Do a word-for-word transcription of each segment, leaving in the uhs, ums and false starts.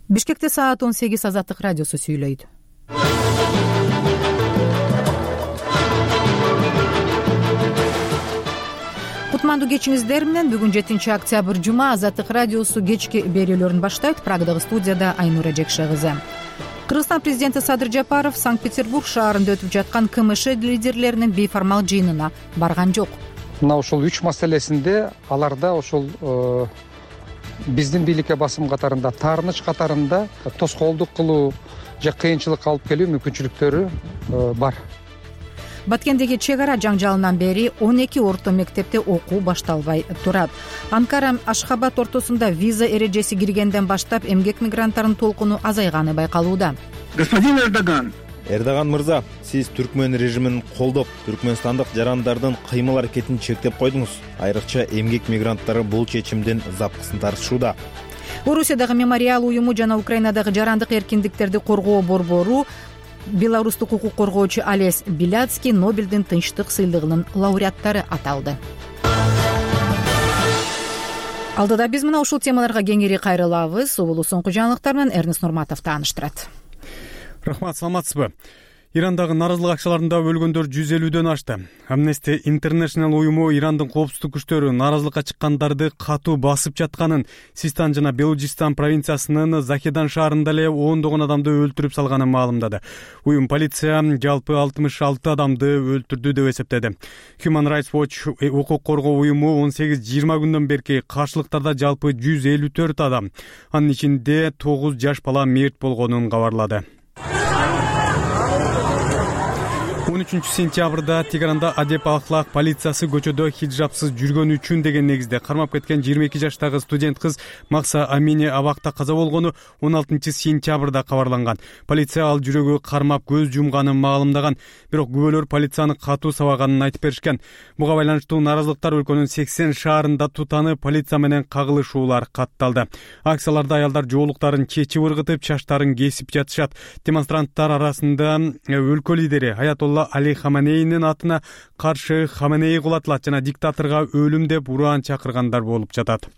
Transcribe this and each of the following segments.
Бишкекте саат он сегиз Азаттык радиосу сүйлөйт. Кутмандуу кечиңиздер менен бүгүн жетинчи октябрь жума Азаттык радиосу кечки берүүлөрүн баштайт. Прагадагы студияда Айнура Жекше кызы. Кыргызстан президенти Садыр Жапаров Санкт-Петербург шаарында өтүп жаткан КМШ лидерлеринин бейформал жыйынына барган жок. Мына ошол үч маселесинде аларда ошол биздин бийликке басым катарында, таарыныч катарында тоскоолдук кылуу же кыйынчылык алып келүү мүмкүнчүлүктөрү бар. Баткендеги чек ара жаңжалынан бери он эки орто мектепте окуу башталбай турат. Анкара Ашхабад ортосунда виза эрежеси киргенден баштап эмгек мигранттарынын толкуну азайганы байкалууда. Господин Эрдоган, Эрдоган мырза, сиз түркмөн режимин колдоп, түркмөнстандык жарандардын кыймыл аракетин чектеп койдуңуз. Айрыкча эмгек мигранттары бул чечимдин запкысын тартышууда. Орусиядагы мемориал уюму жана Украинадагы жарандык эркиндиктерди коргоо борбору белорустук укук коргоочу Олесь Беляцкий Нобелдин тынчтык сыйлыгынын лауреаттары аталды. Алдыда биз мына ушул темаларга кеңири кайрылабыз. Улуу соңку жаңылыктар менен Эрнест Нурматов тааныштырат. Рахмат, саламатсызбы? Ирандагы нааразылык акчаларында өлгөндөр жүз элүүдөн ашты. Amnesty International уюму Ирандын коопсуздук күчтөрү нааразылыкка чыккандарды катуу басып жатканын, Систан жана Белужистан провинциясынын Захедан шаарында эле ондогон адамды өлтүрүп салганын маалымдады. Уюм полиция жалпы алтымыш алты адамды өлтүрдү деп эсептеди. Human Rights Watch укук коргоо уюму он сегиз жыйырма күндөн берки каршылыктарда жалпы жүз элүү төрт адам, анын ичинде тогуз жаш бала мерт болгонун кабарлады. он үчүнчү сентябрда Тегеранда Адеп Ахлак полициясы көчөдө хиджабсыз жүргөн үчүн деген негизде кармап кеткен жыйырма эки жаштагы студент кыз Макса Амини абакта каза болгону он алтынчы сентябрда кабарланган. Полиция ал жүрөгү кармап көз жумганын маалымдаган, бирок күбөлөр полицияны катуу сабаганын айтып беришкен. Буга байланыштуу нааразылыктар өлкөнүн сексен шаарында тутанып, полиция менен кагылышуулар катталды. Акцияларда аялдар жоолуктарын чечип ыргытып, чачтарын кесип жатышат. Демонстранттар арасында өлкө лидери Аятолла Али Хаменейнин атына каршы Хаменей кулатылат жана диктаторго өлүм деп ураан чакыргандар болуп жатат.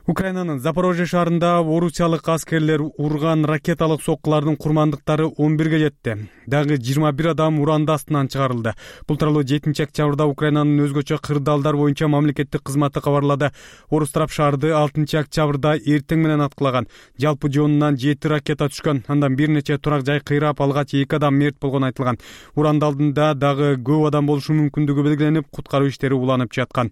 Украинанын Запорожье шаарында орусиялык аскерлер урган ракеталык соккулардын курмандыктары он бирге жетти. Дагы жыйырма бир адам уранды астынан чыгарылды. Бул тууралуу жетинчи октябрда Украинанын өзгөчө кырдаалдар боюнча мамлекеттик кызматы кабарлады. Орус тарап шаарды алтынчы октябрда эртең менен аткылаган. Жалпы жонунан жети ракета түшкөн. Андан бир нече турак жай кыйрап, алгач эки адам мерт болгону айтылган. Уранды алдында дагы көп адам болушу мүмкүндүгү белгиленип, куткаруу иштери уланып жаткан.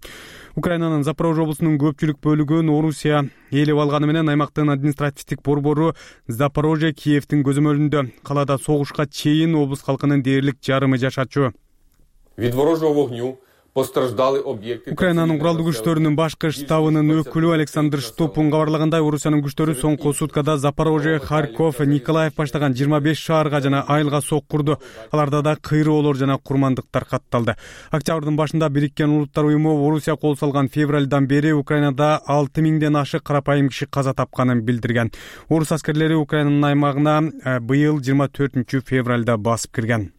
Украинанын Запорожье облусунун көпчүлүк бөлүгүн Орусия ээлеп алганы менен аймактын административдик борбору Запорожье Киевдин көзөмөлүндө. Калаада согушка чейин облус калкынын дээрлик жарымы жашачу. Від ворожого вогню постраждали объекты. Украинанын куралдуу күчтөрүнүн башкы штабынын өкүлү Александр Штопун кабарлагандай, Орусиянын күчтөрү соңку суткада Запорожье, Харьков, Николаев баштаган жыйырма беш шаарга жана айылга соккурду. Аларда да кыйроолор жана курмандыктар катталды. Октябрдын башында Бириккен Улуттар уюму Орусия кол салган февралдан бери Украинада алты миңден ашык карапайым киши каза тапканын билдирген. Орус аскерлери Украинанын аймагына быйыл жыйырма төртүнчү февралда басып кирген.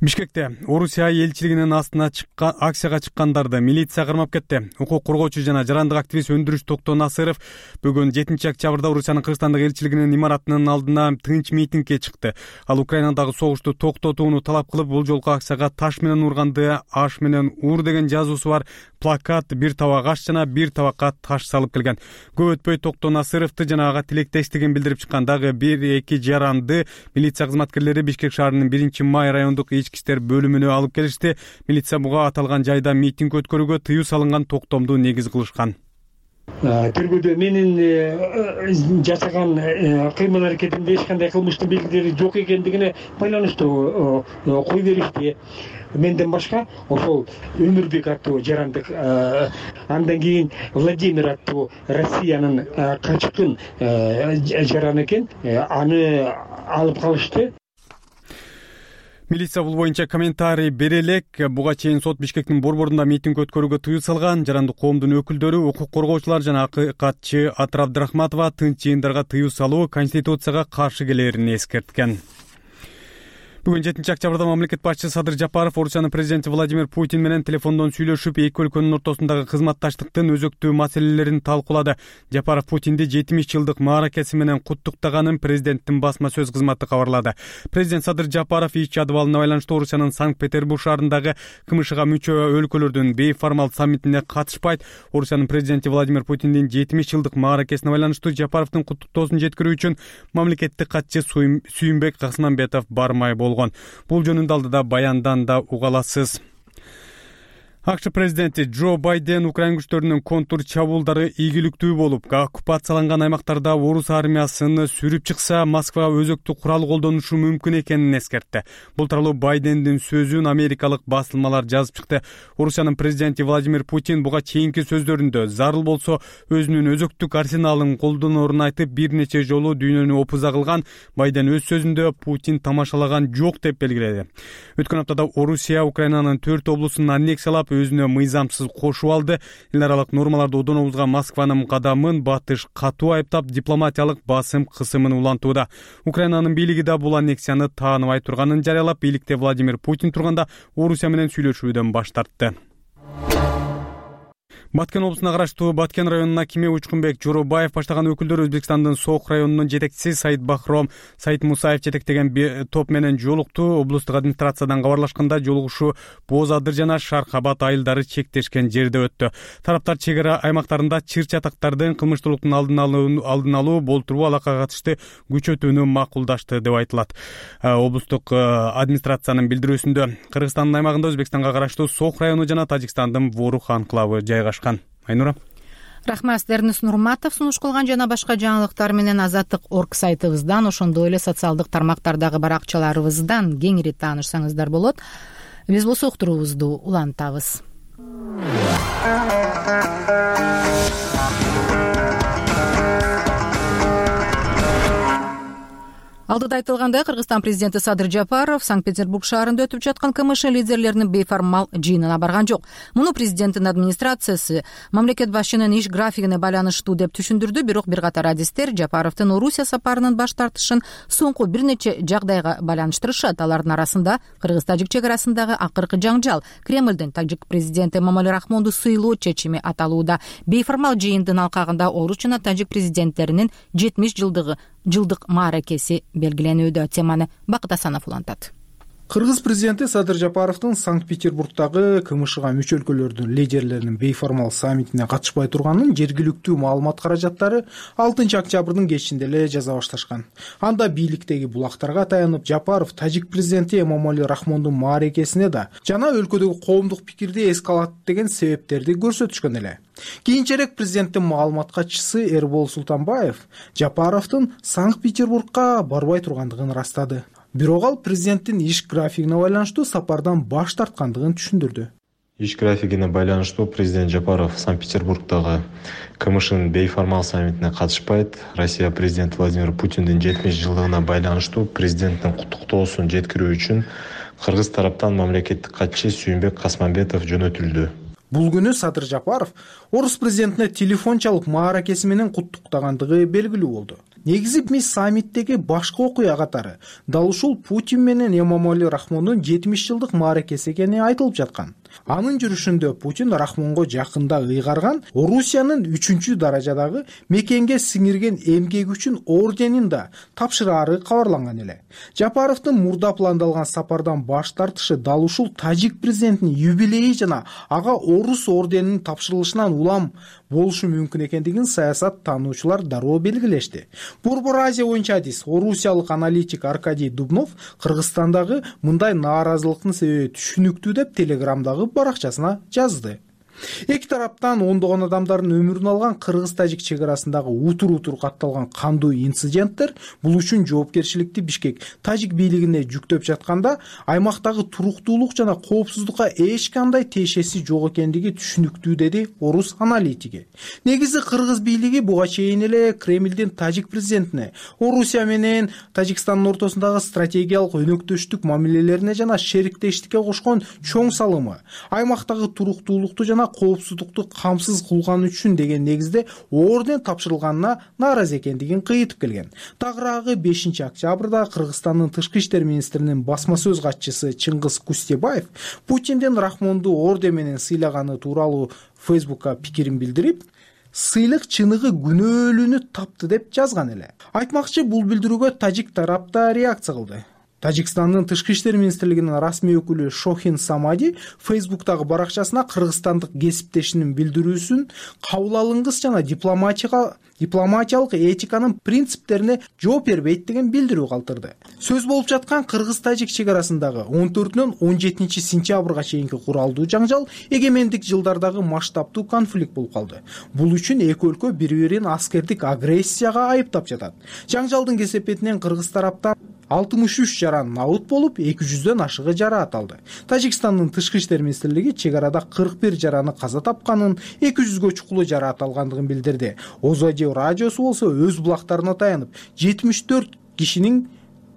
Бишкекте Орусия элчилигинин астына чыккан акцияга чыккандарды милиция кармап кетти. Укук коргоочу жана жарандык активист Өндүрүш Токтоо Насыров бүгүн жетинчи октябрда Орусиянын Кыргызстандагы элчилигинин имаратынын алдына тынч митингге чыкты. Ал Украинадагы согушту токтотууну талап кылып, бул жолку акцияга таш менен урганды, аш менен ур деген жазуусу бар плакат, бир табак аш жана бир табакка таш салып келген. Көп өтпөй Токтоо Насыровду жана ага тилектештигин билдирип чыккан дагы бир эки жаранды милиция кызматкерлери Бишкек шаарынын биринчи май райондук ички иштер бөлүмүнө алып келишти. Милиция буга аталган жайда митинг өткөрүүгө тыюу салынган токтомду негиз кылышкан. Тергөөдө менин жасаган кыймыл аракетимде эч кандай кылмыштын белгилери жок экендигине байланыштуу кой беришти. Менден башка ошол Өмүрбек аттуу жарандык, андан кийин Владимир аттуу Россиянын качкын жараны экен, аны алып калышты. Милиция бул боюнча комментарий бере элек. Буга чейин сот Бишкектин борборунда митинг өткөрүүгө тыюу салган. Жарандык коомдун өкүлдөрү, укук коргоочулар жана акыйкатчы Атыр Абдрахматова тынч жыйындарга тыюу салуу Конституцияга каршы келерин эскерткен. Бүгүн жетинчи октябрда мамлекет башчысы Садыр Жапаров Орусиянын президенти Владимир Путин менен телефондон сүйлөшүп, эки өлкөнүн ортосундагы кызматташтыктын өзөктүү маселелерин талкуулады. Жапаров Путинди жетимиш жылдык мааракеси менен куттуктаганын президенттин басма сөз кызматы кабарлады. Президент Садыр Жапаров иш жадыбалына байланыштуу Орусиянын Санкт-Петербург шаарындагы КМШга мүчө өлкөлөрдүн бейформал саммитине катышпайт. Орусиянын президенти Владимир Путиндин жетимиш жылдык мааракесине байланыштуу Жапаровдун куттуктоосун жеткирүү үчүн мамлекеттик катчы Сүйүнбек Касманбетов бармай болгон. Бул жөнүндө алдыда баяндан да уга аласыз. АКШ президенти Джо Байден Украин күчтөрүнүн контур чабуулдары ийгиликтүү болуп, оккупацияланган аймактарда орус армиясын сүрүп чыкса, Москва өзөктү курал колдонушу мүмкүн экенин эскертти. Бул тууралуу Байдендин сөзүн америкалык басылмалар жазып чыкты. Орусиянын президенти Владимир Путин буга чейинки сөздөрүндө зарыл болсо өзүнүн өзөктүк арсеналын колдонорун айтып, бир нече жолу дүйнөнү опуза кылган. Байден өз сөзүндө Путин тамашалаган жок деп белгиледи. Өткөн аптада Орусия Украинанын төрт облусун аннексиялап, өзүнө мыйзамсыз кошуп алды. Эл аралык нормаларды одоно бузган Москванын кадамын Батыш катуу айыптап, дипломатиялык басым кысымын улантууда. Украинанын бийлиги да бул аннексияны тааныбай турганын жарыялап, бийликте Владимир Путин турганда Орусия менен сүйлөшүүдөн баш тартты. Баткен облусуна караштуу Баткен районунун акими Учкунбек Жоробаев баштаган өкүлдөр Өзбекстандын Сок районунун жетекчиси Сайыт Бахром Сайыт Мусаев жетектеген топ менен жолукту. Облустук администрациядан кабарлашканда, жолугушуу Боз Адыр жана Шаркабат айылдары чектешкен жерде өттү. Тараптар чек ара аймактарында чыр-чатактардын кылмыштуулуктун алдын алуу алдын алуу болтуруу алакага катышты күчөтүүнү макулдашты деп айтылат. Облустук администрациянын билдирүүсүндө Кыргызстандын аймагында Өзбекстанга караштуу Сок району жана Тажикстандын Ворух анклавы жайгашкан. Айнура. Рахмат, Дернис Нурматов сунуш кылган жана башка жаңылыктар менен Азаттык орг сайтыбыздан, ошондой эле социалдык тармактардагы баракчаларыбыздан кеңири таанышсаңыздар болот. Биз бул уктуруубузду улантабыз. Алдыда айтылгандай, Кыргызстан президенти Садыр Жапаров Санкт-Петербург шаарында өтүп жаткан КМШ лидерлеринин бейформал жыйынына барган жок. Муну президенттин администрациясы мамлекет башчынын иш графигине байланыштуу деп түшүндүрдү, бирок бир катар адистер Жапаровдун Орусия сапарынын баш тартышын соңку бир нече жагдайга байланыштырышат. Алардын арасында Кыргыз-Тажик чек арасындагы акыркы жаңжал, Кремлдин тажик президенти Эмомали Рахмонду сыйлоо чечими аталууда. Бейформал жыйындын алкагында орус жана тажик президенттеринин жетимиш жылдыгы жылдык мааракеси белгиленүүдө. Теманы Бакыт Асанов улантат. Кыргыз президенти Садыр Жапаровдун Санкт-Петербургдагы КМШга мүчө өлкөлөрдүн лидерлеринин бейформал саммитине катышпай турганын жергиликтүү маалымат каражаттары алтынчы октябрдын кечинде эле жаза башташкан. Анда бийликтеги булактарга таянып, Жапаров тажик президенти Эмомали Рахмондун мааракесине да жана өлкөдөгү коомдук пикирди эскалаттеген себептерди көрсөтүшкөн эле. Кийинчерээк президенттин маалымат катчысы Эрбол Султанбаев Жапаровдун Санкт-Петербургга барбай тургандыгын ырастады. Бирок ал президенттин иш графигине байланыштуу сапардан баш тарткандыгын түшүндүрдү. Иш графигине байланыштуу президент Жапаров Санкт-Петербургдагы КМШнын бейформал саммитине катышпайт. Россия президенти Владимир Путиндин жетимиш жылдыгына байланыштуу президенттин куттуктоосун жеткирүү үчүн кыргыз тараптан мамлекеттик катчы Сүйүнбек Касманбетов жөнөтүлдү. Бул күнү Садыр Жапаров орус президентине телефон чалып мааракеси менен куттуктагандыгы белгилүү болду. Негизи мис саммиттеги башкы окуя катары дал ушул Путин менен Эмомали Рахмондун жетимиш жылдык мааракеси экени айтылып жаткан. Анын жүрүшүндө Путин Рахмонго жакында ыйгарган Орусиянын үчүнчү даражадагы мекенге сиңирген эмгеги үчүн орденин да тапшыраары кабарланган эле. Жапаровдун мурда пландалган сапардан баш тартышы дал ушул тажик президентинин юбилейи жана ага орус орденинин тапшырылышынан улам болушу мүмкүн экендигин саясат таануучулар дароо белгилешти. Борбор Азия боюнча адис орусиялык аналитик Аркадий Дубнов Кыргызстандагы мындай нааразылыктын себеби түшүнүктүү деп Телеграмдагы баракчасына жазды. Эки тараптан ондогон адамдардын өмүрүн алган Кыргыз-Тажик чек арасындагы утур-утур катталган кандуу инциденттер бул үчүн жоопкерчиликти Бишкек тажик бийлигине жүктөп жатканда, аймактагы туруктуулук жана коопсуздукка эч кандай тиешеси жок экендиги түшүнүктүү, деди орус аналитиги. Негизи Кыргыз бийлиги буга чейин эле Кремлдин тажик президентине Орусия менен Тажикстандын ортосундагы стратегиялык өнөктөштүк мамилелерине жана шериктештикке кошкон чоң салымы, аймактагы туруктуулукту жана коопсуздукту камсыз кылганы үчүн деген негизде орден тапшырылганына нааразы экендигин кыйтып келген. Тагыраагы бешинчи октябрда Кыргызстандын тышкы иштер министринин басма сөз катчысы Чыңгыз Кустебаев Путиндин Рахмонду орден менен сыйлаганы тууралуу Фейсбукка пикирин билдирип, сыйлык чыныгы күнөөлүүнү тапты деп жазган эле. Айтмакчы, бул билдирүүгө тажик тарап да реакция кылды. Тажикстандын тышкы иштер министрлигинин расмий өкүлү Шохин Самади Фейсбуктагы баракчасына кыргызстандык кесиптешинин билдирүүсүн кабыл алынгыс жана дипломатиялык этиканын принциптерине жооп бербейт деген билдирүү калтырды. Сөз болуп жаткан кыргыз-тажик чек арасындагы он төртүнөн он жетинчи сентябрга чейинки куралдуу жаңжал эгемендик жылдардагы масштабдуу конфликт болуп калды. Бул үчүн эки өлкө бири-бирин аскердик агрессияга айыптап жатат. Жаңжалдын кесепетинен кыргыз тараптан алтымыш үч жаран набыт болуп, эки жүздөн ашыгы жараат алды. Тажикстандын тышкы иштер министрлиги чек арада кырк бир жараны каза тапканын, эки жүзгө чукулу жараат алгандыгын билдирди. Озодио радиосу болсо өз булактарына таянып, жетимиш төрт кишинин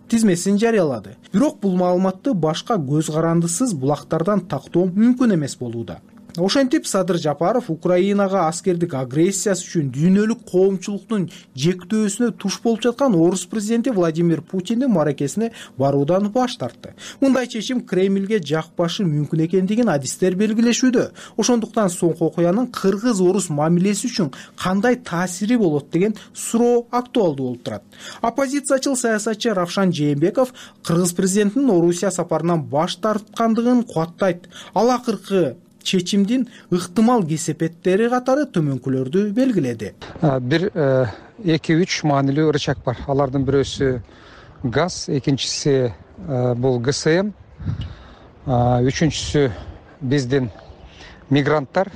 тизмесин жарыялады. Бирок бул маалыматты башка көз карандысыз булактардан тактоо мүмкүн эмес болууда. Ошентип Садыр Жапаров Украинага аскердик агрессиясы үчүн дүйнөлүк коомчулуктун жектөөсүнө туш болуп жаткан орус президенти Владимир Путиндин маракесине баруудан баш тартты. Мындай чечим Кремльге жакпашы мүмкүн экендигин адистер белгилешүүдө. Ошондуктан соңку окуянын кыргыз-орус мамилеси үчүн кандай таасири болот деген суроо актуалдуу болуп турат. Оппозициячыл саясатчы Равшан Жээнбеков кыргыз президентинин Орусия сапарынан баш тарткандыгын кубаттайт. Ал акыркы чечимдин ыктымал кесепеттери катары төмөнкүлөрдү белгиледи. Бир эки үч маанилүү рычаг бар. Алардын бирөөсү газ, экинчиси бул гэ эс эм, үчүнчүсү биздин мигранттар.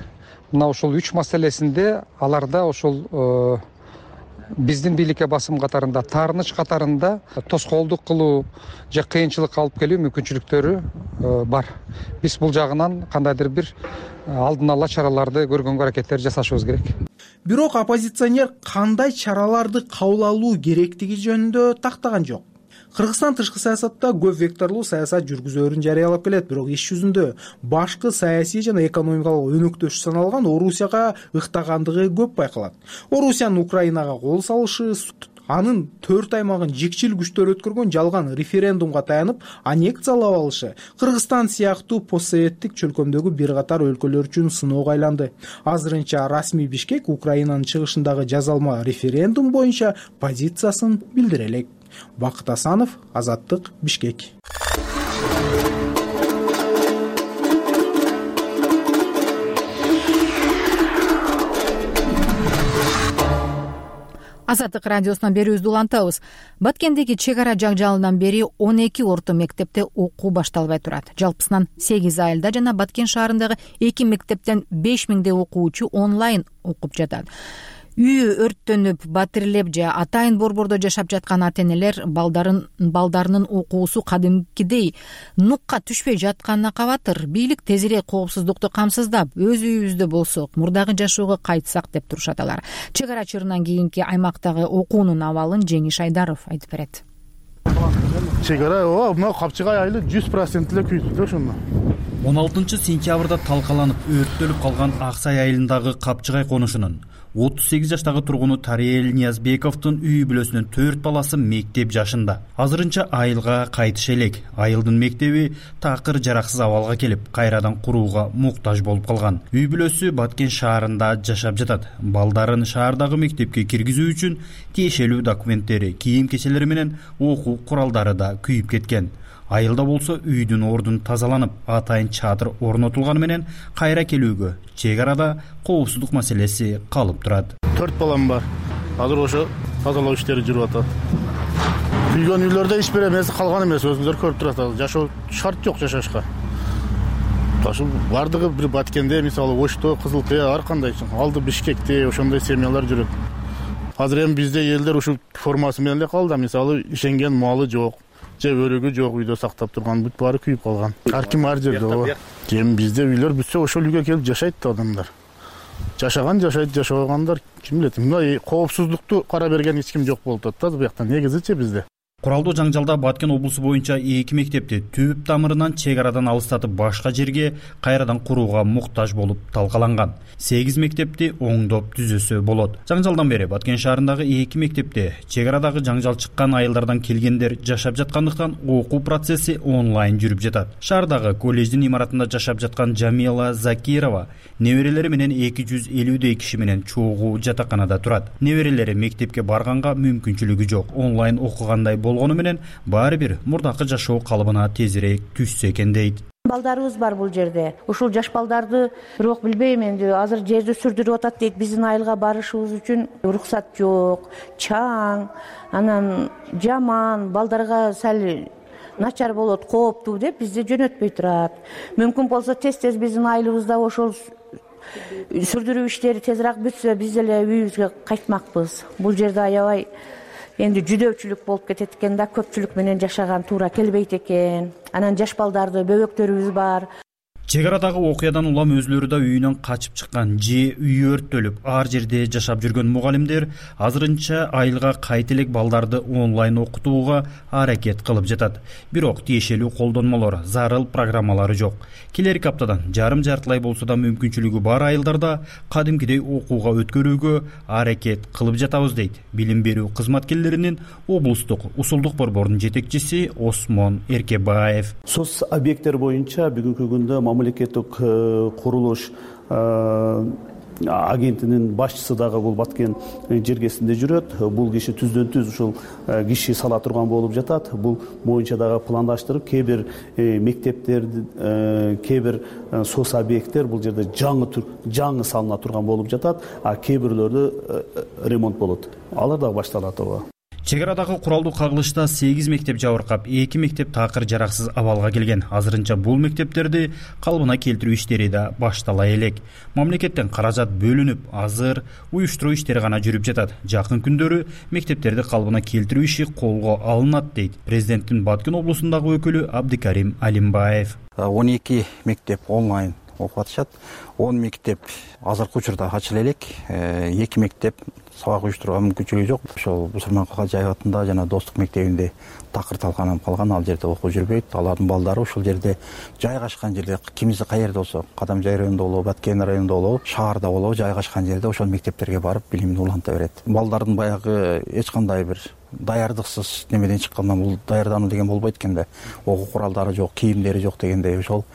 Мына ошол үч маселесинде аларда ошол биздин бийликке басым катарында, таарыныч катарында тоскоолдук кылуу же кыйынчылык алып келүү мүмкүнчүлүктөрү бар. Биз бул жагынан кандайдыр бир алдын ала чараларды көргөнгө аракеттер жасашыбыз керек. Бирок оппозиционер кандай чараларды кабыл алуу керектиги жөнүндө тактаган жок. Кыргызстан тышкы саясатта көп векторлуу саясат жүргүзөөрүн жарыялап келет, бирок иш жүзүндө башкы саясий жана экономикалык өнөктөш саналган Орусияга ыктагандыгы көп байкалат. Орусиянын Украинага кол салышы, анын төрт аймагын жикчил күчтөр өткөргөн жалган референдумга таянып аннексиялап алышы Кыргызстан сыяктуу постсоветтик чөлкөмдөгү бир катар өлкөлөр үчүн сыноого айланды. Азырынча расмий Бишкек Украинанын чыгышындагы жазалма референдум боюнча позициясын билдире элек. Бакыт Асанов, Азаттык, Бишкек. Азаттык радиосунан берүүбүздү улантабыз. Баткендеги чек ара жаңжалынан бери он эки орто мектепте окуу башталбай турат. Жалпысынан сегиз айылда жана Баткен шаарындагы эки мектептен беш миңдей окуучу онлайн окуп жатат. Үйү өрттөнүп, батирлеп же атайын борбордо жашап жаткан ата-энелер балдарын балдарынын окуусу кадимкидей нукка түшпөй жатканына кабатыр. Бийлик тезирээк коопсуздукту камсыздап, өз үйүбүздө болсок, мурдагы жашоого кайтсак деп турушат алар. Чек ара чырынан кийинки аймактагы окуунун абалын Жеңиш Айдаров айтып берет. Чек ара ооба, мына Капчыгай айылы жүз процент эле күйдү да ошондо. он алтынчы сентябрда талкаланып, өрттөлүп калган Аксай айылындагы Капчыгай конушунун отуз сегиз жаштагы тургуну Тариел Ниязбековдун үй бүлөсүнүн төрт баласы мектеп жашында. Азырынча айылга кайтыш элек. Айылдын мектеби такыр жараксыз абалга келип, кайрадан курууга муктаж болуп калган. Үй бүлөсү Баткен шаарында жашап жатат. Балдарын шаардагы мектепке киргизүү үчүн тиешелүү документтери, кийим-кечелери менен окуу куралдары да күйүп кеткен. Айылда болсо үйдүн ордун тазаланып, атайын чатыр орнотулганы менен кайра келүүгө чек арада коопсуздук маселеси калып турат. төрт балам бар. Азыр ошо тазалоо иштери жүрүп атат. Күйгөн үйлөрдө иш бере эмес калган эмес, өзүңүздөр көрүп турасыздар. Жашоо шарт жок жашашка. Ташы бардыгы бир Баткенде, мисалы Ошто, Кызыл Кыя, ар кандай алды Бишкекте ошондой семьялар жүрөт. Азыр эми бизде элдер ушул формасы менен эле калды, мисалы ишенген малы жок. Же өрөгү жок, үйдө сактап турган бүт баары күйүп калган. Ар ким ар жерде ооба. Кем бизде үйлөр бүтсө ошол үйгө келип жашайт да адамдар. Жашаган жашайт, жашабагандар ким билет. Мына коопсуздукту кара берген эч ким жок болуп атат да бу жакта. Негизичи бизде. Куралдуу жаңжалда Баткен облусу боюнча эки мектепти түп тамырынан чек арадан алыстатып башка жерге кайрадан курууга муктаж болуп талкаланган. сегиз мектепти оңдоп түзөсө болот. Жаңжалдан бери Баткен шаарындагы эки мектепте чек арадагы жаңжал чыккан айылдардан келгендер жашап жаткандыктан окуу процесси онлайн жүрүп жатат. Шаардагы колледждин имаратында жашап жаткан Жамила Закирова неберелери менен эки жүз элүүдөй киши менен чогуу жатаканада турат. Неберелери мектепке барганга мүмкүнчүлүгү жок. Онлайн окугандай болгону менен баары бир мурдакы жашоо калыбына тезирээк түшсө экен дейт. Балдарыбыз бар бул жерде. Ушул жаш балдарды бирок билбейм энди азыр жерди сүрдүрүп атат дейт. Биздин айылга барышыбыз үчүн уруксат жок, чаң, анан жаман, балдарга сал начар болот, кооптуу деп бизди жөнөтпөй турат. Мүмкүн болсо тез-тез биздин айылыбызда ошол сүрдүрүү иштери тезирээк бүтсө, биз эле үйүбүзгө кайтмакпыз. Бул жерде аябай энди жүдөчүлүк болуп кетет экен да, көпчүлүк менен жашаган туура келбейт экен. Анан жаш балдарды, бөбөктөрүбүз бар. Чек арадагы окуядан улам өзүлөрү да үйүнөн качып чыккан же үй өрттөлүп ар жерде жашап жүргөн мугалимдер азырынча айылга кайта элек балдарды онлайн окутууга аракет кылып жатат. Бирок тиешелүү колдонмолор, зарыл программалары жок. Келерки аптадан жарым жартылай болсо да мүмкүнчүлүгү бар айылдарда кадимкидей окууга өткөрүүгө аракет кылып жатабыз дейт билим берүү кызматкерлеринин облустук усулдук борборунун жетекчиси Осмон Эркебаев. Соц объекттер боюнча бүгүнкү күндө мамлекеттик курулуш агентинин башчысы дагы бул Баткен жергесинде жүрөт. Бул киши түздөн түз ушул киши сала турган болуп жатат. Бул боюнча дагы пландаштырып, кээ бир мектептерди, кээ бир соц объекттер бул жерде жаңы жаңы салына турган болуп жатат, а кээ бирлөрдө ремонт болот. Алар дагы башталат ооба. Чек арадагы куралдуу кагылышта сегиз мектеп жабыркап, эки мектеп такыр жараксыз абалга келген. Азырынча бул мектептерди калыбына келтирүү иштери да баштала элек. Мамлекеттен каражат бөлүнүп, азыр уюштуруу иштери гана жүрүп жатат. Жакын күндөрү мектептерди калыбына келтирүү иши колго алынат дейт президенттин Баткен облусундагы өкүлү Абдикарим Алимбаев. он эки мектеп онлайн окуп атышат. он мектеп азыркы учурда ачыла элек. эки мектеп сабак уюштурууга мүмкүнчүлүгү жок. Ошол Бусурман Калжаев атында жана Достук мектебинде такыр талканып калган, ал жерде окуу жүрбөйт. Алардын балдары ушул жерде жайгашкан жерде, кимиси кай жерде болсо, Кадамжай районунда болобу, Баткен районунда болобу, шаарда болобу, жайгашкан жерде ошол мектептерге барып билимин уланта берет. Балдардын баягы эч кандай бир даярдыксыз немеден чыккандан бул даярдануу деген болбойт экен да. Окуу куралдары жок, кийимдери жок дегендей ошол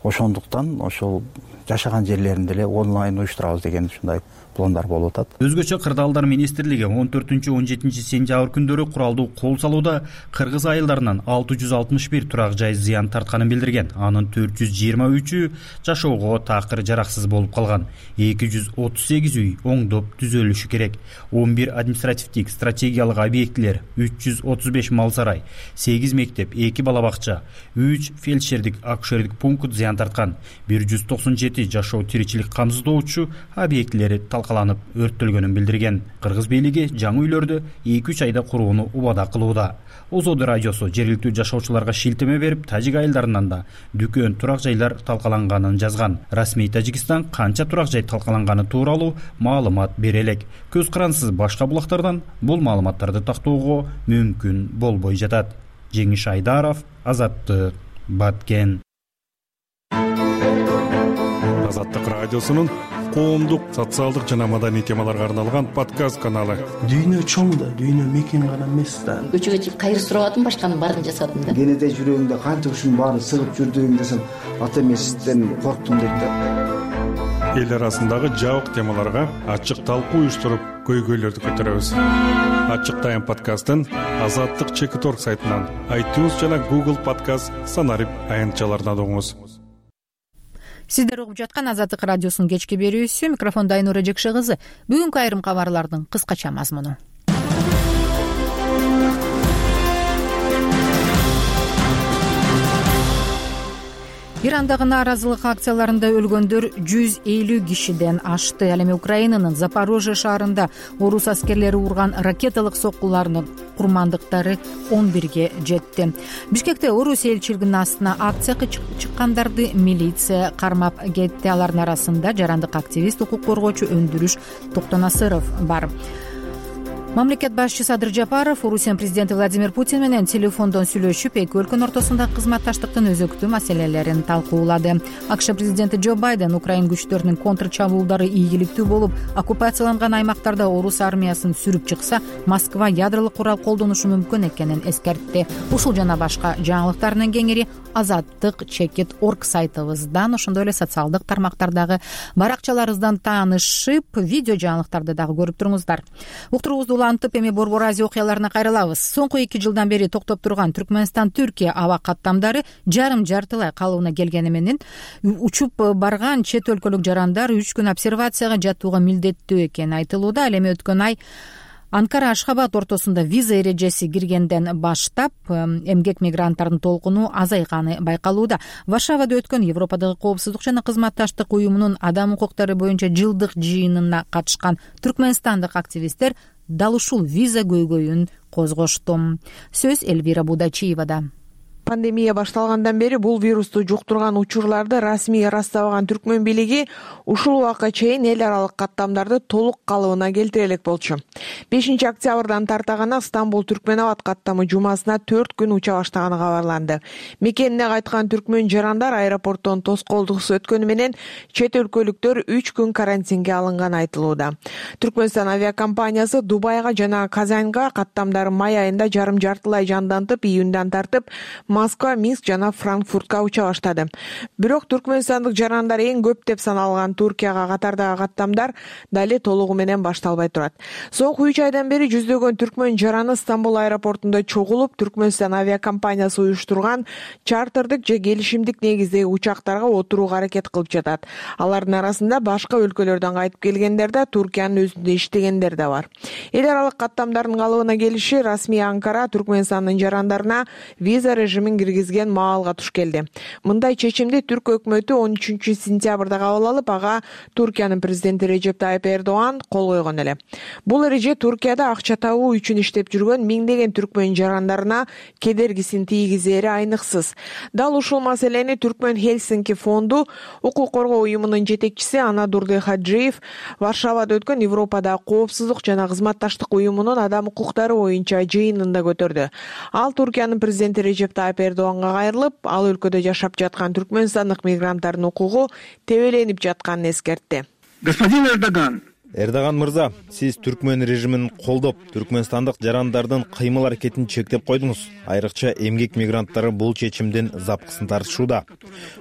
ошондуктан ошол жашаган жерлеринде эле онлайн уюштурабыз деген ушундай пландар болуп атат. Өзгөчө Кырдаалдар министрлиги он төртүнчү он жетинчи сентябрь күндөрү куралдуу кол салууда кыргыз айылдарынан алты жүз алтымыш бир турак жай зыян тартканын билдирген. Анын төрт жүз жыйырма үчү жашоого такыр жараксыз болуп калган. эки жүз отуз сегиз үй оңдоп түзөлүшү керек. он бир административдик стратегиялык объектилер, үч жүз отуз беш мал сарай, сегиз мектеп, эки бала бакча, үч фельдшердик акушердик пункт зыян тарткан. бир жүз токсон жети жашоо тиричилик камсыздоочу объектилери талкаланып өрттөлгөнүн билдирген. Кыргыз бийлиги жаңы үйлөрдү эки үч айда курууну убада кылууда. Озоду радиосу жергиликтүү жашоочуларга шилтеме берип, тажик айылдарынан да дүкөн турак жайлар талкаланганын жазган. Расмий Тажикстан канча турак жай талкаланганы тууралуу маалымат бере элек. Көз карансыз башка булактардан бул маалыматтарды тактоого мүмкүн болбой жатат. Жеңиш Айдаров, Азаттык, Баткен. Азаттык радиосунун коомдук, социалдык жана маданий темаларга арналган подкаст каналы. Дүйнө чоң да, дүйнө мекен гана эмес да. Көчөгө чыгып кайыр сурабадым, башканын баарын жасадым да. Кенеде жүрөгүңдө канча ушунун баарын сыгып жүрдүң десем, ата эмесизден корктум дейт да. Эл арасындагы жабык темаларга ачык талкуу уюштуруп, көйгөйлөрдү көтөрөбүз. Ачык тайм подкастын Азаттык чекит точка орг сайтынан, iTunes жана Google Podcast санарип аянтчаларынан угуңуз. Сиздер угуп жаткан Азаттык радиосунун кечки берүүсү, микрофондо Айнура Жекше кызы. Бүгүнкү айрым кабарлардын кыскача мазмуну. Ирандагы нааразылык акцияларында өлгөндөр жүз элүү кишиден ашты. Ал эми Украинанын Запорожье шаарында орус аскерлери урган ракеталык соккуларынын курмандыктары он бирге жетти. Бишкекте орус элчилигинин астына акцияга чыккандарды милиция кармап кетти. Алардын арасында жарандык активист, укук коргоочу Өндүрүш Токтонасыров бар. мамлекет башчысы Садыр Жапаров Орусиянын президенти Владимир Путин менен телефондон сүйлөшүп, эки өлкөнүн ортосундагы кызматташтыктын өзөктүү маселелерин талкуулады. АКШ президенти Джо Байден Украин күчтөрүнүн контрчабуулдары ийгиликтүү болуп, оккупацияланган аймактарда орус армиясын сүрүп чыкса, Москва ядролук курал колдонушу мүмкүн экенин эскертти. Ушул жана башка жаңылыктардын кеңири азаттык чекит точка орг сайтыбыздан, ошондой эле социалдык тармактардагы баракчаларыбыздан таанышып, видео жаңылыктарды дагы көрүп туруңуздар. Уктуруубузду улантып, эми Борбор Азия окуяларына кайрылабыз. Соңку эки жылдан бери токтоп турган Түркмөнстан-Түркия аба каттамдары жарым жартылай калыбына келгени менен учуп барган чет өлкөлүк жарандар үч күн обсервацияга жатууга милдеттүү экени айтылууда. Ал эми өткөн ай Анкара Ашхабад ортосунда виза эрежеси киргенден баштап эмгек мигранттардын толкуну азайганы байкалууда. Варшавада өткөн Европадагы коопсуздук жана кызматташтык уюмунун адам укуктары боюнча жылдык жыйынына катышкан түркмөнстандык активисттер дал ушул виза көйгөйүн козгошту. Сөз Эльвира Будачиевада. Пандемия башталгандан бери бул вирусту жуктурган учурларды расмий ырастабаган түркмөн бийлиги ушул убакка чейин эл аралык каттамдарды толук калыбына келтире элек болчу. бешинчи октябрдан тарта гана Стамбул Түркмөнабад каттамы жумасына төрт күн уча баштаганы кабарланды. Мекенине кайткан түркмөн жарандар аэропорттон тоскоолдуксуз өткөнү менен чет өлкөлүктөр үч күн карантинге алынганы айтылууда. Түркмөнстан авиакомпаниясы Дубайга жана Казанга каттамдары май айында жарым жартылай жандантып, июндан тартып Москва, Минск жана Франкфуртка уча баштады. Бирок түркмөнстандык жарандар эң көп деп саналган Туркияга катардагы каттамдар дали толугу менен башталбай турат. Соңку үч айдан бери жүздөгөн түркмөн жараны Стамбул аэропортунда чогулуп, Түркмөнстан авиакомпаниясы уюштурган чартердик же келишимдик негиздеги учактарга отурууга аракет кылып жатат. Алардын арасында башка өлкөлөрдөн кайтып келгендер да, Туркиянын өзүндө иштегендер да бар. Эл аралык каттамдардын калыбына келиши расмий Анкара Түркмөнстандын жарандарына виза режимин киргизген маалга туш келди. Мындай чечимди түрк өкмөтү он үчүнчү сентябрда кабыл алып, ага Туркиянын президенти Режеп Тайып Эрдоган кол койгон эле. Бул эреже Туркияда акча табуу үчүн иштеп жүргөн миңдеген түркмөн жарандарына кедергисин тийгизери айныксыз. Дал ушул маселени Түркмөн Хельсинки фонду укук коргоо уюмунун жетекчиси Анадурды Хаджиев Варшавада өткөн Европадагы коопсуздук жана кызматташтык уюмунун адам укуктары боюнча жыйынында көтөрдү. Ал Туркиянын президенти Режеп Тайып Эрдоганга кайрылып, ал өлкөдө жашап жаткан түркмөнстандык мигранттардын укугу тебеленип жатканын эскертти. Господин Эрдоган, Эрдоган мырза, сиз түркмөн режимин колдоп, түркмөнстандык жарандардын кыймыл аракетин чектеп койдуңуз. Айрыкча эмгек мигранттары бул чечимдин запкысын тартышууда.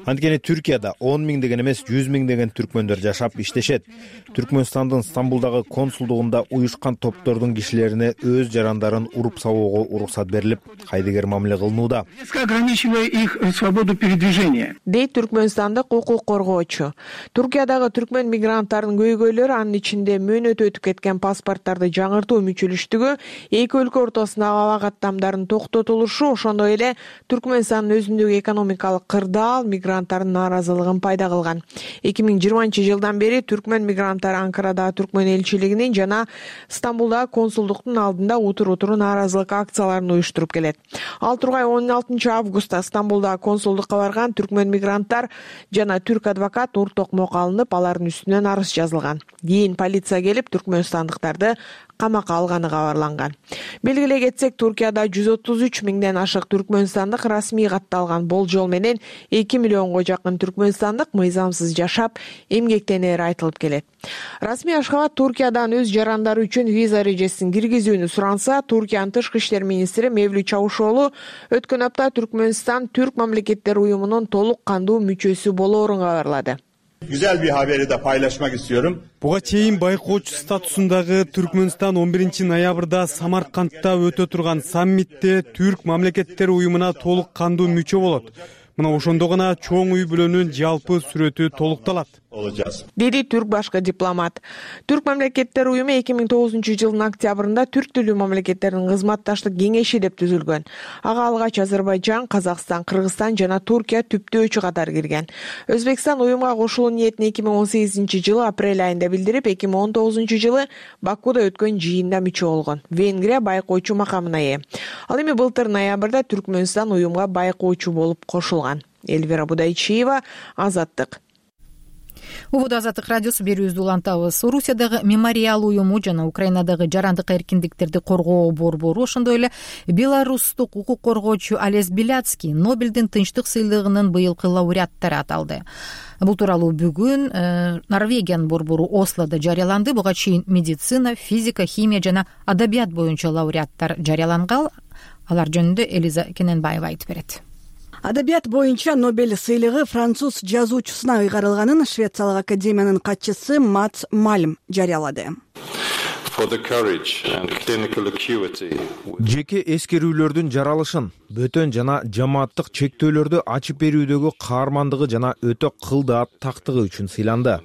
Анткени Түркияда он миңдеген эмес, жүз миңдеген түркмөндөр жашап иштешет. Түркмөнстандын Стамбулдагы консулдугунда уюшкан топтордун кишилерине өз жарандарын уруп сабоого уруксат берилип, кайдыгер мамиле кылынууда. Ограничивая их свободу передвижения. Дейт түркмөнстандык укук коргоочу. Туркиядагы түркмөн мигранттардын көйгөйлөрү анын ичинде мөөнөтү өтүп кеткен паспорттарды жаңыртуу мүчөлүштүгү, эки өлкө ортосундагы аба каттамдарын токтотулушу, ошондой эле Түркмөнстандын өзүндөгү экономикалык кырдаал мигранттардын нааразылыгын пайда кылган. эки миң жыйырманчы жылдан бери түркмөн мигранттары Анкарадагы түркмөн элчилигинин жана Стамбулдагы консулдуктун алдында утур-утуру нааразылык акцияларын уюштуруп келет. Ал тургай он алтынчы августта Стамбулдагы консулдукка барган түркмөн мигранттар жана түрк адвокат ур токмокко алынып, алардын үстүнөн арыз жазылган. Кийин полиция келип түркмөнстандыктарды камакка алганы кабарланган. Белгилей кетсек, Туркияда жүз отуз үч миңден ашык түркмөнстандык расмий катталган болжол менен эки миллионго жакын түркмөнстандык мыйзамсыз жашап, эмгектенери айтылып келет. Расмий Ашхабад Туркиядан өз жарандары үчүн виза эрежесин киргизүүнү суранса, Туркиянын тышкы иштер министри Мевлют Чавушоğlu өткөн апта Түркмөнстан Türk мамлекеттер уюмунун толук кандуу мүчөсү болоорун кабарлады. Güzel bir haberi de paylaşmak istiyorum. Буга чейин байкоочу статусундагы Түркмөнстан он биринчи ноябрда Самаркандта өтө турган саммитте Түрк мамлекеттер уюмуна толук кандуу мүчө болот. Мына ошондо гана чоң үй бүлөнүн жалпы сүрөтү толукталат, деди түрк башкы дипломат. Түрк мамлекеттер уюму эки миң тогузунчу жылдын октябрында түрк тилдүү мамлекеттердин кызматташтык кеңеши деп түзүлгөн. Ага алгач Азербайжан, Казакстан, Кыргызстан жана Туркия түптөөчү катары кирген. Өзбекстан уюмга кошулуу ниетин эки миң он сегизинчи жылы апрель айында билдирип, эки миң он тогузунчу жылы Бакуда өткөн жыйында мүчө болгон. Венгрия байкоочу макамына ээ. Ал эми былтыр ноябрда Түркмөнстан уюмга байкоочу болуп кошулган. Эльвира Будайчиева, Азаттык. убуду Азаттык радиосу берүүбүздү улантабыз. Орусиядагы мемориал уюму жана Украинадагы жарандык эркиндиктерди коргоо борбору, ошондой эле беларустук укук коргоочу Олесь Беляцкий Нобелдин тынчтык сыйлыгынын быйылкы лауреаттары аталды. Бул тууралуу бүгүн э, Норвегиянын борбору Ослодо жарыяланды. Буга чейин медицина, физика, химия жана адабият боюнча лауреаттар жарыяланган. Алар жөнүндө Элиза Кененбаева айтып берет. Адабият боюнча Нобель сыйлыгы француз жазуучусуна ыйгарылганын Швециялык академиянын катчысы Матс Мальм жарыялады. Жеке эскерүүлөрдүн жаралышын, бөтөн жана жамааттык чектөөлөрдү ачып берүүдөгү каармандыгы жана өтө кылдааттактыгы үчүн сыйланды.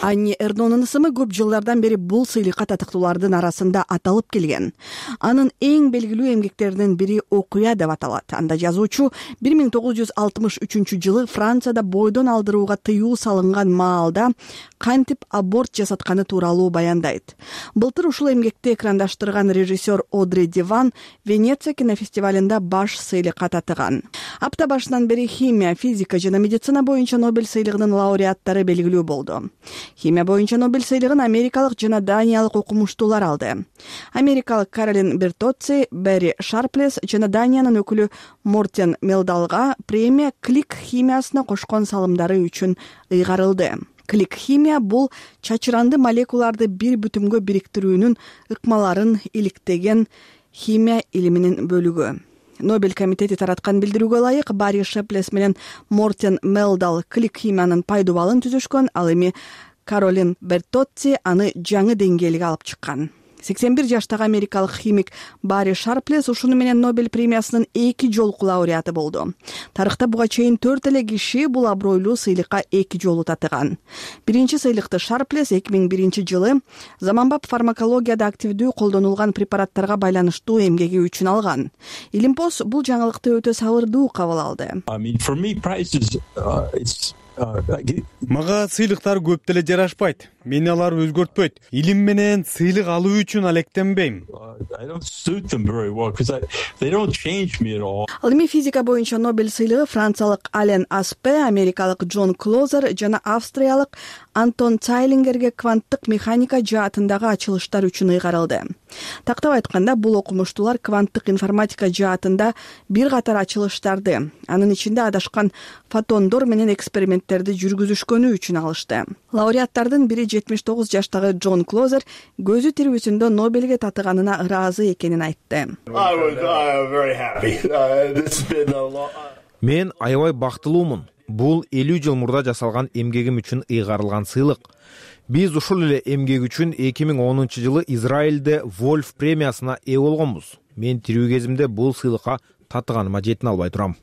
Анни Эрдонун ысымы көп жылдардан бери бул сыйлыкка татыктуулардын арасында аталып келген. Анын эң белгилүү эмгектеринин бири «Окуя» деп аталат. Анда жазуучу бир миң тогуз жүз алтымыш үчүнчү жылы Францияда бойдон алдырууга тыюу салынган маалда кантип аборт жасатканы тууралуу баяндайт. Былтыр ушул эмгекти экрандаштырган режиссер Одри Диван Венеция кинофестивалында баш сыйлыкка татыган. Апта башынан бери химия, физика жана медицина боюнча Нобель сыйлыгынын лауреаттары белгилүү болду. Химия боюнча Нобель сыйлыгын америкалык жана даниялык окумуштуулар алды. Америкалык Каролин Бертоцци, Берри Шарплес жана Даниянын өкүлү Мортен Мелдалга премия клик химиясына кошкон салымдары үчүн ыйгарылды. Клик химия бул чачыранды молекулаларды бир бүтүнгө бириктирүүнүн ыкмаларын иликтеген химия илиминин бөлүгү. Нобель комитети тараткан билдирүүгө ылайык Барри Шарплес менен Мортен Мелдал клик химиянын пайдубалын түзүшкөн, ал эми Каролин Бертоцци аны жаңы деңгээлге алып чыккан. сексен бир жаштагы америкалык химик Барри Шарплес ушуну менен Нобель премиясынын эки жолку лауреаты болду. Тарыхта буга чейин төрт эле киши бул абройлуу сыйлыкка эки жолу татыган. Биринчи сыйлыкты Шарплес эки миң биринчи жылы заманбап фармакологияда активдүү колдонулган препараттарга байланыштуу эмгеги үчүн алган. Илимпоз бул жаңылыкты өтө сабырдуу кабыл алды. Мага сыйлыктар көп деле жарашпайт. Мени алар өзгөртпөйт. Илим менен сыйлык алуу үчүн алектенбейм. Ал эми физика боюнча Нобель сыйлыгы франциялык Ален Аспе, америкалык Джон Клозер жана австриялык Антон Цайлингерге кванттык механика жаатындагы ачылыштар үчүн ыйгарылды. Тактап айтканда, бул окумуштуулар кванттык информатика жаатында бир катар ачылыштарды, анын ичинде адашкан фотондор менен эксперименттерди жүргүзүшкөнү үчүн алышты. Лауреаттардын бири жетимиш тогуз жаштагы Джон Клозер көзү тирүүсүндө Нобелге татыганына ыраазы экенин айтты. Мен аябай бактылуумун. Бул элүү жыл мурда жасалган эмгегим үчүн ыйгарылган сыйлык. Биз ушул эле эмгек үчүн эки миң онунчу жылы Израилде Вольф премиясына ээ болгонбуз. Мен тирүү кезимде бул сыйлыкка татыганыма жетине албай турам.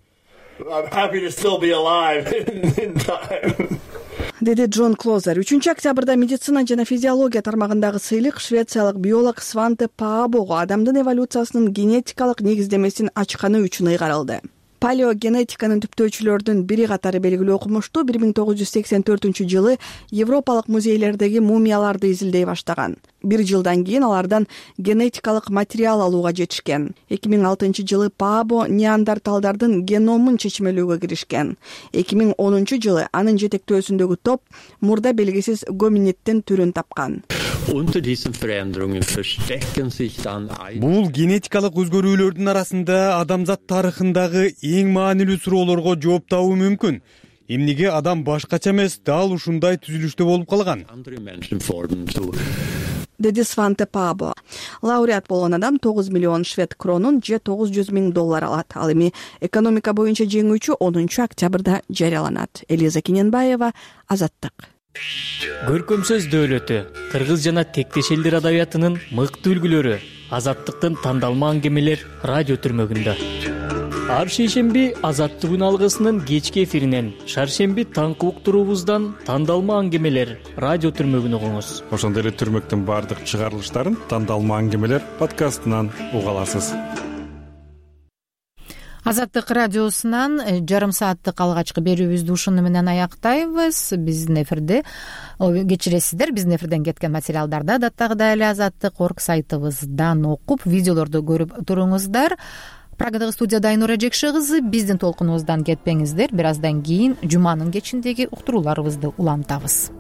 Деди Джон Клозер. үчүнчү октябрда медицина жана физиология тармагындагы сыйлык швециялык биолог Сванте Паабого адамдын эволюциясынын генетикалык негиздемесин ачканы үчүн ыйгарылды. Палеогенетиканын түптөөчүлөрдүн бири катары белгилүү окумуштуу бир миң тогуз жүз сексен төртүнчү жылы Европалык музейлердеги мумияларды изилдей баштаган. Бир жылдан кийин алардан генетикалык материал алууга жетишкен. эки миң алтынчы жылы Паабо неандерталдардын геномун чечмелөөгө киришкен. эки миң онунчу жылы анын жетектөөсүндөгү топ мурда белгисиз гоминиддин түрүн тапкан. Бул генетикалык өзгөрүүлөрдүн арасында адамзат тарыхындагы эң маанилүү суроолорго жооп табуу мүмкүн. Эмнеге адам башкача эмес, дал ушундай түзүлүштө болуп калган? Деди Сванте Паабо. Лауреат болгон адам тогуз миллион швед кронун же тогуз жүз миң доллар алат. Ал эми экономика боюнча жеңүүчү онунчу октябрда жарыяланат. Элиза Кененбаева, Азаттык. Көркөм сөз дөөлөтү, кыргыз жана тектеш элдер адабиятынын мыкты үлгүлөрү, Азаттыктын тандалма аңгемелер радио түрмөгүндө. Ар шейшемби Азаттык алгысынын кечки эфиринен, шаршемби таңкы уктуруубуздан тандалма аңгемелер радио түрмөгүн угуңуз. Ошондой эле түрмөктүн бардык чыгарылыштарын тандалма аңгемелер подкастынан уга аласыз. Азаттык радиосунан жарым сааттык алгачкы берүүбүздү ушуну менен аяктайбыз. Биздин эфирде кечиресиздер, биздин эфирден кеткен материалдарды адаттагыдай эле азаттык орг сайтыбыздан окуп, видеолорду көрүп туруңуздар. прагадагы студияда Айнура Жекше кызы. Биздин толкунубуздан кетпеңиздер. Бир аздан кийин жуманын кечиндеги уктурууларыбызды улантабыз.